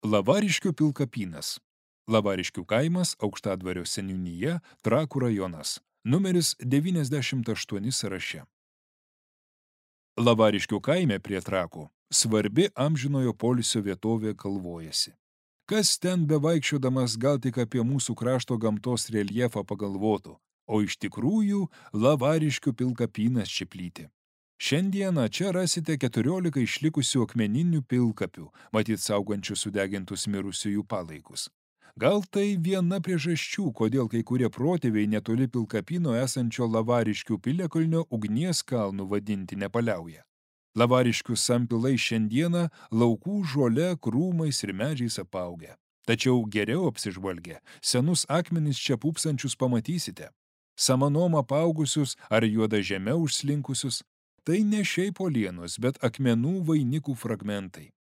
Lavariškių pilkapynas. Lavariškių kaimas, Aukštadvario seniūnija, Trakų rajonas. Numeris 98 sąraše. Lavariškių kaime prie Trakų svarbi amžinojo poilsio vietovė Kalvojasi. Kas ten bevaikščiodamas gal tik apie mūsų krašto gamtos reljefą pagalvotų, o iš tikrųjų Lavariškių pilkapynas čia plyti. Šiandieną čia rasite 14 išlikusių akmeninių pilkapių, matyt saugančių sudegintus mirusiųjų palaikus. Gal tai viena priežasčių, kodėl kai kurie protėviai netoli pilkapyno esančio Lavariškių piliakalnio ugnies kalnų vadinti nepaliauja. Lavariškių sampilai šiandieną laukų žole, krūmais ir medžiais apaugę. Tačiau geriau apsižvalgę, senus akmenis čia pūpsančius pamatysite. Samanom apaugusius ar juoda žeme užslinkusius. Tai ne šiaip uolienos, bet akmenų vainikų fragmentai.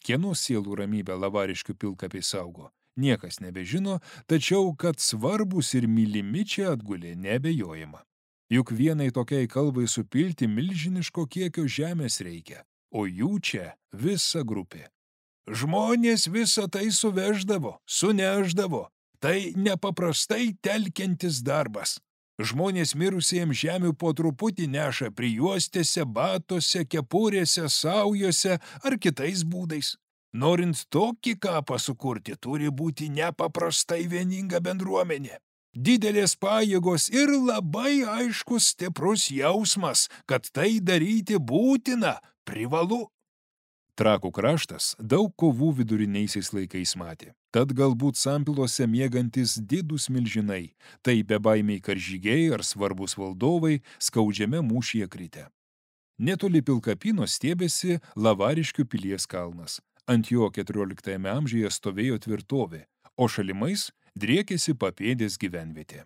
Kieno sielų ramybę Lavariškių pilkapiai saugo, niekas nebežino, tačiau, kad svarbus ir mylimi čia atgulė, neabejojama. Juk vienai tokiai kalvai supilti milžiniško kiekio žemės reikia, o jų čia visa grupė. Žmonės visą tai suveždavo, suneždavo. Tai nepaprastai telkiantis darbas. Žmonės mirusiems žemių po truputį neša prijuostėse, batuose, kepurėse, saujose ar kitais būdais. Norint tokį kapą sukurti, turi būti nepaprastai vieninga bendruomenė. Didelės pajėgos ir labai aiškus stiprus jausmas, kad tai daryti būtina, privalu. Trakų kraštas daug kovų viduriniaisiais laikais matė. Tad galbūt sampilose miegantis didūs milžinai, tai bebaimiai karžygiai ar svarbus valdovai skaudžiame mūšyje kritę. Netoli pilkapyno stiebėsi Lavariškių pilies kalnas. Ant jo 14 amžiuje stovėjo tvirtovė, o šalimais driekėsi papėdės gyvenvietė.